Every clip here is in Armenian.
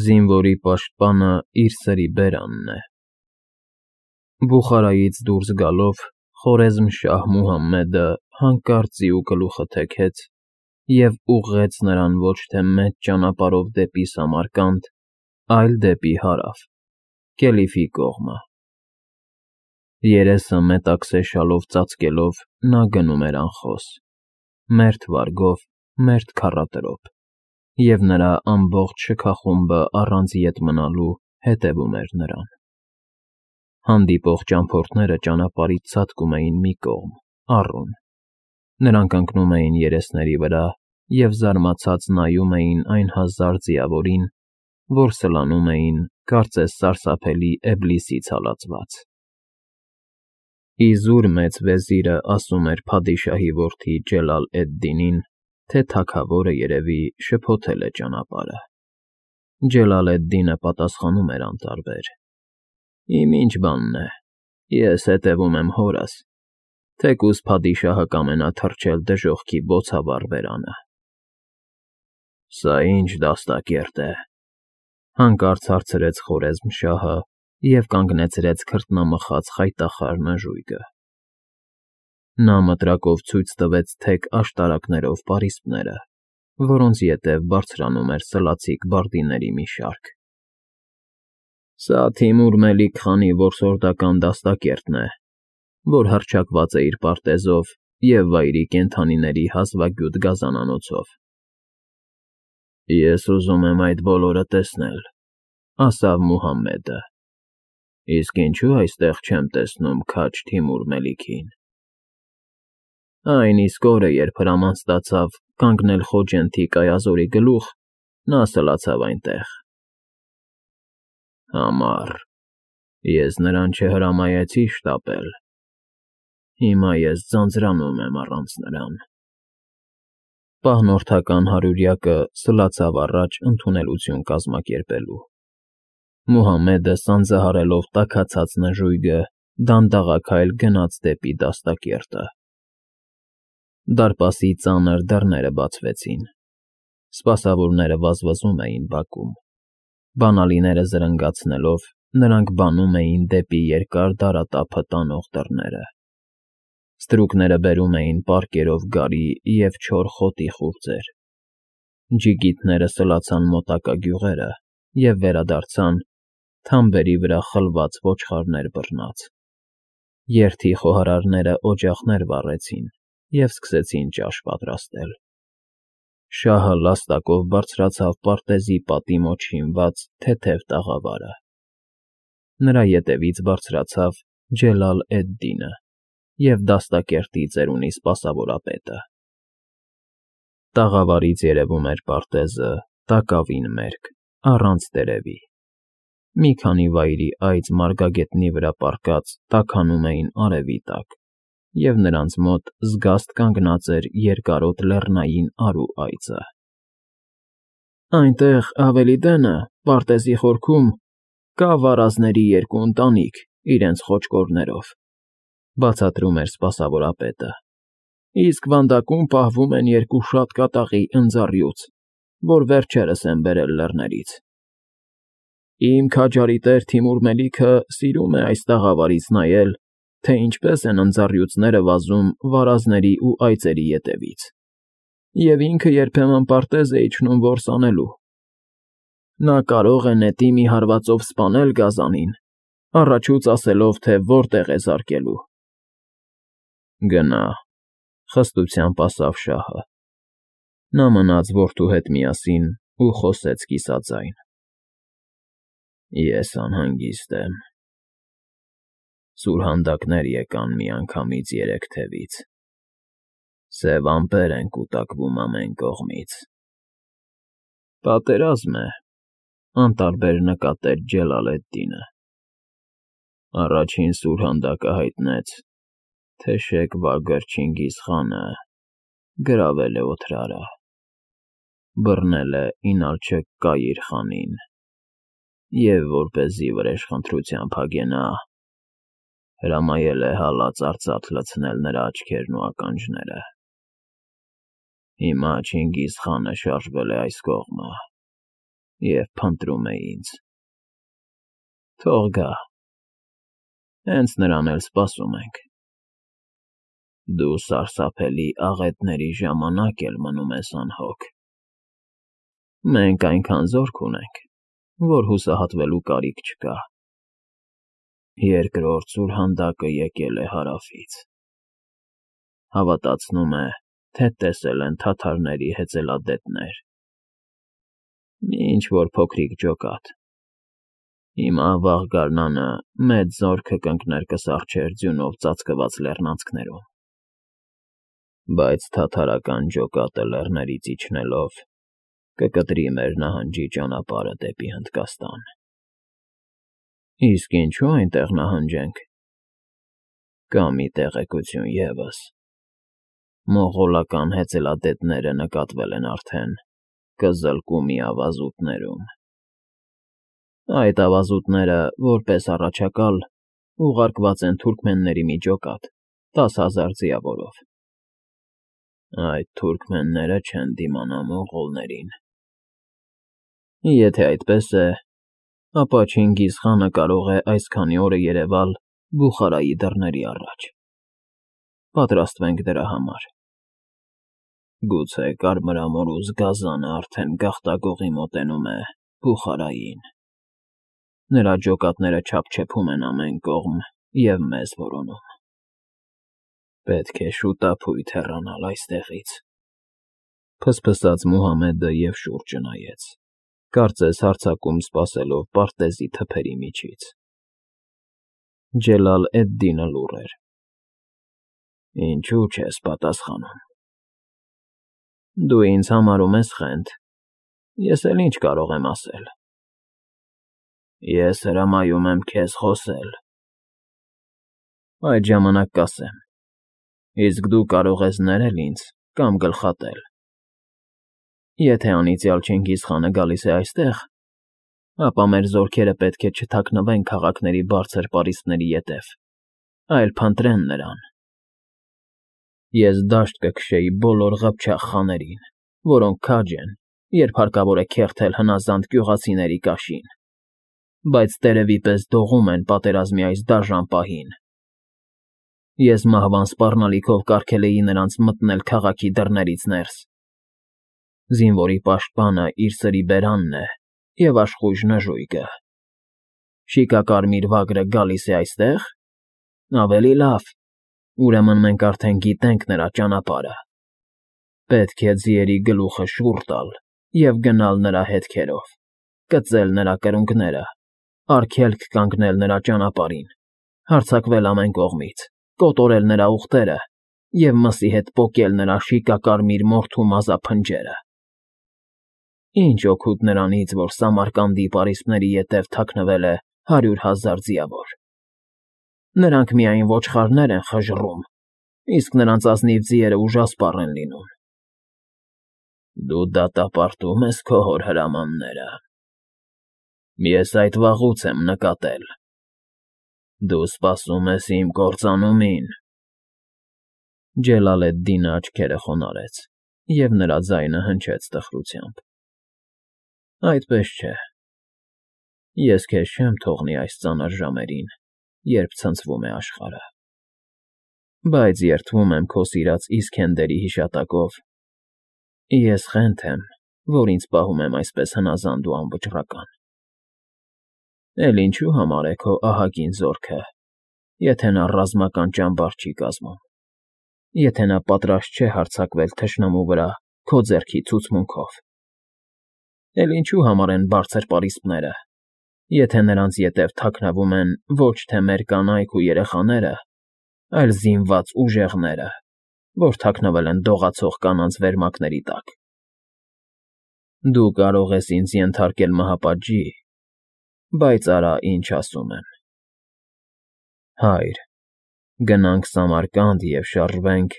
Զինվորի պաշտպանը իր սրի բերանն է։ Բուխարայից դուրս գալով Խորեզմ֊Շահ Մուհամմեդը հանկարծ ձիու գլուխը թեքեց և ուղղեց նրան ոչ թե մեծ ճանապարհով դեպի Սամարկանդ, այլ դեպի հարավ, Կելիֆի կողմը։ Երեսը մետաքսե շալով ծածկելով նա գնում էր անխոս, մերթ վարգով, մերթ քառատրոպ, և նրա ամբողջ շքախումբը առանց ետ մնալու հետևում էր նրան։ Հանդիպող ճամփորդները ճանապարհից ցատկում էին մի կողմ, առուն, նրանք ընկնում էին երեսների վրա և զարմացած նայում էին այն հազար ձիավորին, որ սլանում էին, կարծես սարսափելի Էբլիսից հալածված։ Իզուր մեծ վեզիրը ասում էր փադիշահի որդի Ջելալ֊էդ֊Դինին, թե թագավորը, երևի, շփոթել է ճանապարհը։ Ջելալ֊էդ֊Դինը պատասխանում էր անտարբեր. Իմ ինչ բանն է, ես հետևում եմ հորս, թեկուզ փադիշահը կամենա թռչել դժոխքի բոցավառ բերանը։ Սա ի՞նչ դաստակերտ է,֊ հանկարծ հարցրեց Խորեզմ֊Շահը և կանգնեցրեց քրտնամխած խայտախար նժույգը։ Նա մտրակով ցույց տվեց թեք աշտարակներով պարիսպները, որոնց ետև բարձրանում էր սլացիկ բարդիների մի շարք։ Սա Թիմուր Մելիք խանի որսորդական դաստակերտն է, որ հռչակված է իր պարտեզով և վայրի կենդանիների հազվագյուտ գազանանոցով։ Ես ուզում եմ այդ բոլորը տեսնել,֊ ասավ Մուհամմեդը։ Իսկ ինչու այստեղ չեմ տեսնում քաջ Թիմուր Մելիքին։ Այն իսկ օրը, երբ հրաման ստացավ կանգնել Խոջենթի կայազորի գլուխ, նա սլացավ այնտեղ։ Համառ, ես նրան չհրամայեցի շտապել, հիմա ես ձանձրանում եմ առանց նրան։ Պահնորդական հարյուրյակը սլացավ առաջ ընդունելություն կազմակերպելու։ Մուհամմեդը սանձահարելով տաքացած նժույգը, դանդաղաքայլ գնաց դեպի դաստակերտը։ Դարպասի ծանր դռները բացվեցին։ Սպասավորները վազվզում էին բակում։ Բանալիները զրնգացնելով՝ նրանք բանում էին դեպի երկար դարատափը տանող դռները։ Ստրուկները բերում էին պարկերով գարի և չոր խոտի խուրձեր։ Ջիգիտները սլացան մոտակա գյուղերը և վերադարձան՝ թամբերի վրա խլված ոչխարներ բռնած։ Երթի խոհարարները օջախներ վառեցին և սկսեցին ճաշ պատրաստել։ Շահը լաստակով բարձրացավ պարտեզի պատի մոտ շինված թեթև տաղավարը։ Նրա ետևից բարձրացավ Ջելալ֊էդ֊Դինը և դաստակերտի ծերունի սպասավորապետը։ Տաղավարից երևում էր պարտեզը տակավին մերկ, առանց տերևի։ Մի քանի վայրի այծ մարգագետնի վրա պառկած տաքանում էին արևի տակ, և նրանց մոտ զգաստ կանգնած էր երկարոտ լեռնային արու այծը։ Այնտեղ, ավելի դենը, պարտեզի խորքում, կա վարազների երկու ընտանիք իրենց խոճկորներով,֊ բացատրում էր սպասավորապետը, իսկ վանդակում պահվում են երկու շատ կատաղի ընձառյուծ, որ վերջերս են բերել լեռներից։ Իմ քաջարի տեր Թիմուր Մելիքը սիրում է այս տաղավարից նայել, թե ինչպես են ընձառյուծները վազում վարազների ու այծերի ետևից, և ինքը երբեմն պարտեզ է իջնում որս անելու։ Նա կարող է նետի մի հարվածով սպանել գազանին, առաջուց ասելով, թե որտեղ է զարկելու։ Գնա,֊ խստությամբ ասավ շահը։ Նա մնաց որդու հետ միասին ու խոսեց կիսաձայն. Ես անհանգիստ եմ։ Սուրհանդակներ եկան միանգամից երեք թևից։ Սև ամպեր են կուտակվում ամեն կողմից։ Պատերազմ է,֊ անտարբեր նկատեց Ջելալ֊էդ֊Դինը։ Առաջին սուրհանդակը հայտնեց, թե Շեյք Վագր Չինգիզ խանը գրավել է Օթրարը, բռնել է Ինալչեկ Կայիր խանին և, որպեսզի վրեժխնդրությամբ հագենա, հրամայել է հալած արծաթ լցնել նրա աչքերն ու ականջները։ Հիմա Չինգիզ խանը շարժվել է այս կողմը, և փնտրում է ինձ։ Թող գա, հենց նրան էլ սպասում ենք։ Դու սարսափելի աղետների ժամանակ էլ մնում ես անհոգ։ Մենք այնքան զորք ունենք, որ հուսահատվելու կարիք չկա։ Երկրորդ սուրհանդակը եկել է հարավից։ Հավատացնում է, թե տեսել են թաթարների հեծելադետներ։ Մի ինչ-որ փոքրիկ ջոկատ։ Հիմա վաղ գարնանը մեծ զորքը կընկներ կսառչեր ձյունով ծածկված լեռնանցքներում։ Բայց թաթարական ջոկատը լեռներից իջնելով կկտրի մեր նահանջի ճանապարհը դեպի Հնդկաստան։ Իսկ ինչու այնտեղ նահանջենք։ Կա մի տեղեկություն ևս. մողոլական հեծելադետները նկատվել են արդեն Կզլկումի ավազուտներում։ Այդ ավազուտները, որպես առաջակալ, ուղարկված են թուրքմենների մի ջոկատ 10,000 ձիավորով։ Այդ թուրքմենները չեն դիմանա մողոլներին։ Եթե այդպես է, ապա Չինգիզ խանը կարող է այսքանի օրը երևալ Բուխարայի դռների առաջ։ Պատրաստվենք դրա համար։ Գուցե կարմրամորուս գազանը արդեն գաղտագողի մոտենում է Բուխարային։ Նրա ջոկատները չափչփում են ամեն կողմ և մեզ որոնում։ Պետք է շուտափույթ հեռանալ այստեղից։ Փսփսաց Մուհամեդը և շուրջը նայեց, կարծես հարձակում սպասելով պարտեզի թփերի միջից։ Ջելալ֊էդ֊Դինը լուռ էր։ Ինչու չես պատասխանում։ Դու ինձ համարում ես խենթ, ես էլ ինչ կարող եմ ասել։ Ես հրամայում եմ քեզ խոսել։ Այդ ժամանակ կասեմ, իսկ դու կարող ես ներել ինձ կամ գլխատել։ Եթե անիծյալ Չինգիզ խանը գալիս է այստեղ, ապա մեր զորքերը պետք է չթաքնվեն քաղաքների բարձր պարիսպների ետև, այլ փնտրեն նրան։ Ես դաշտ կքշեի բոլոր ղփչաղ խաներին, որոնք քաջ են, երբ հարկավոր է քերթել հնազանդ գյուղացիների կաշին, բայց տերևի պես դողում են պատերազմի այս դաժան պահին։ Ես մահվան սպառնալիքով կարգել էի նրանց մտնել քաղաքի դռներից ներս։ Զինվորի պաշտպանը իր սրի բերանն է և աշխույժ նժույգը։ Շիկակարմիր վագրը գալիս է այստեղ։ Ավելի լավ, ուրեմն մենք արդեն գիտենք նրա ճանապարհը։ Պետք է ձիերի գլուխը շուռ տալ և գնալ նրա հետքերով, կծել նրա կրունկները, արգելք կանգնել նրա ճանապարհին, հարձակվել ամեն կողմից, կոտորել նրա ուղտերը և մսի հետ պոկել նրա շիկակարմիր մորթու մազափնջերը։ Ինչ օգուտ նրանից, որ Սամարկանդի պարիսպների ետև թաքնվել է 100,000 ձիավոր։ Նրանք միայն ոչխարներ են խժռում, իսկ նրանց ազնիվ ձիերը ուժասպառ են լինում։ Դու դատապարտում ես քո հոր հրամանները։ Ես այդ վաղուց եմ նկատել։ Դու սպասում ես իմ կործանումին։ Ջելալ֊էդ֊Դինը աչքերը խոնարհեց, և նրա ձայնը հնչեց տխրությամբ։ Այդպես չէ։ Ես քեզ չեմ թողնի այս ծանր ժամերին, երբ ցնցվում է աշխարհը։ Բայց երդվում եմ քո սիրած Իսքենդերի հիշատակով։ Ես խենթ եմ, որ ինձ պահում եմ այսպես հնազանդ ու անվճռական։ Էլ ինչու համար է քո ահագին զորքը, եթե նա ռազմական ճամբար չի կազմում, եթե նա պատրաստ չէ հարձակվել թշնամու վրա քո ձեռքի ցուցմունքով։ Էլ ինչու համար են բարձր պարիսպները, եթե նրանց ետև թաքնվում են ոչ թե մեր կանայք ու երեխաները, այլ զինված ուժեղները, որ թաքնվել են դողացող կանանց վերմակների տակ։ Դու կարող ես ինձ ենթարկել մահապատժի, բայց արա ինչ ասում եմ։ Հայր, գնանք Սամարկանդ և շարժվենք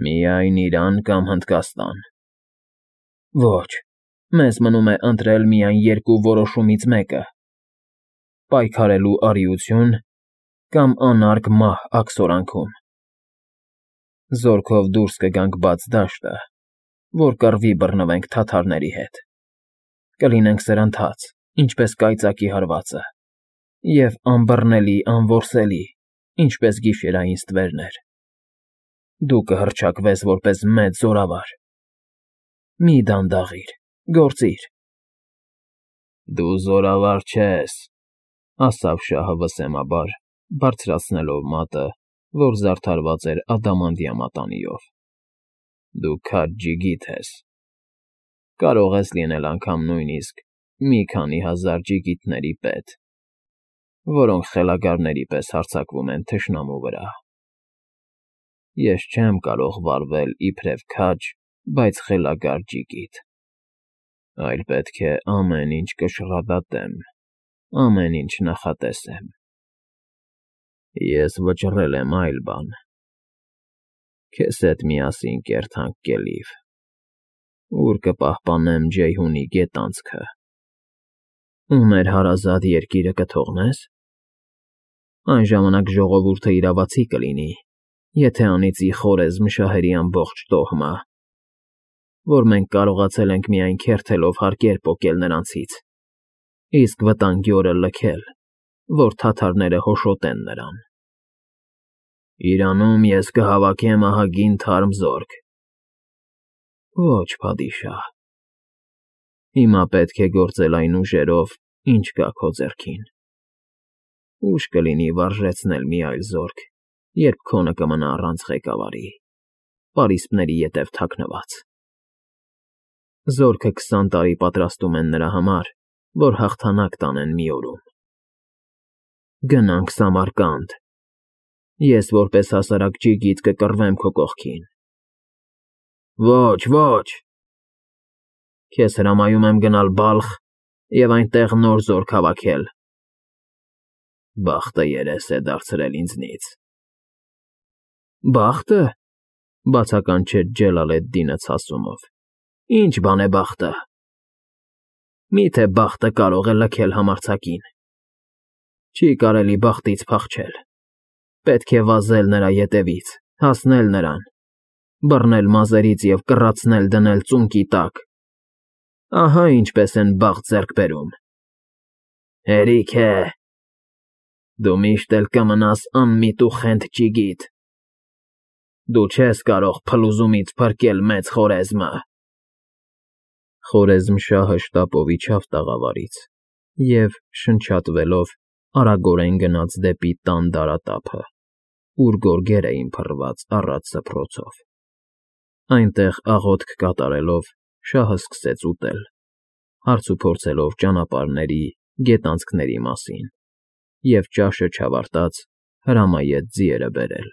միայն Իրան կամ Հնդկաստան։ Ոչ, մեզ մնում է ընտրել միայն երկու որոշումից մեկը. պայքարելու արիություն կամ անարգ մահ աքսորանքում։ Զորքով դուրս կգանք բաց դաշտը, որ կռվի բռնվենք թաթարների հետ։ կլինենք սրընթաց, ինչպես կայծակի հարվածը, և անբռնելի, անորսելի, ինչպես գիշերային ստվերներ։ Դու կհռչակվես որպես մեծ զորավար։ Մի դանդաղիր, գործիր։ Դու զորավար չես, ասաց շահը վսեմաբար, բարձրացնելով մատը, որ զարդարված էր ադամանդյա մատանիով։ Դու քաջ ջիգիթ ես։ Կարող ես լինել անգամ նույնիսկ մի քանի հազար ջիգիթների պետ, որոնք խելագարների պես հարձակվում են թշնամու վրա։ Ես չեմ կարող վարվել իբրև քաջ, բայց խելագար ջիգիթ, այլ պետք է ամեն ինչ կշռադատեմ, ամեն ինչ նախատեսեմ։ Ես վճռել եմ այլ բան. քեզ հետ միասին կերթանք կելիվ, ուր կպահպանեմ Ջեյհունի գետանցքը։ Ու մեր հարազատ երկիրը կթողնե՞ս։ Այն ժամանակ ժողովուրդը իրավացի կլինի, եթե անիծի Խորեզմ շահերի ամբողջ տոհմը, որ մենք կարողացել ենք միայն քերթելով հարկեր պոկել նրանցից, իսկ վտանգի օրը լքել, որ թաթարները հոշոտեն նրան։ Իրանում ես կհավաքեմ ահագին թարմ զորք։ Ոչ, փադիշահ։ Հիմա պետք է գործել այն ուժերով, ինչ կա քո ձեռքին։ Ուշ կլինի վարժեցնել մի այլ զորք, երբ քոնը կմնա առանց ղեկավարի, պարիսպների ետև թաքնված։ Զորքը 20 տարի պատրաստում են նրա համար, որ հաղթանակ տանեն մի օրում։ Գնանք Սամարկանդ։ Ես որպես հասարակ ջիգիթ կկռվեմ քո կողքին։ Ոչ, ոչ։ Քեզ հրամայում եմ գնալ Բալխ և այնտեղ նոր զորք հավաքել։ Բախտը երես է դարձրել ինձնից։ Բախտը,֊ բացականչեց Ջելալ֊էդ֊Դինը ցասումով։ Ինչ բան է բախտը։ Միթե բախտը կարող է լքել համարձակին։ Չի կարելի բախտից փախչել։ Պետք է վազել նրա ետևից, հասնել նրան, բռնել մազերից և կռացնել դնել ծունկի տակ։ Ահա ինչպես են բախտ ձեռք բերում։ Հերիք է։ Դու միշտ էլ կմնաս անմիտ ու խենթ ջիգիթ։ Դու չես կարող փլուզումից փրկել մեծ Խորեզմը։ Խորեզմշահը շտապով իջավ տաղավարից և, շնչատվելով, արագորեն գնաց դեպի տան դարատափը, ուր գորգեր էին փռված առատ սփռոցով։ Այնտեղ աղոթք կատարելով՝ շահը սկսեց ուտել, հարցուփորձելով ճանապարհների, գետանցքների մասին, և ճաշը չավարտած հրամայեց ձիերը բերել։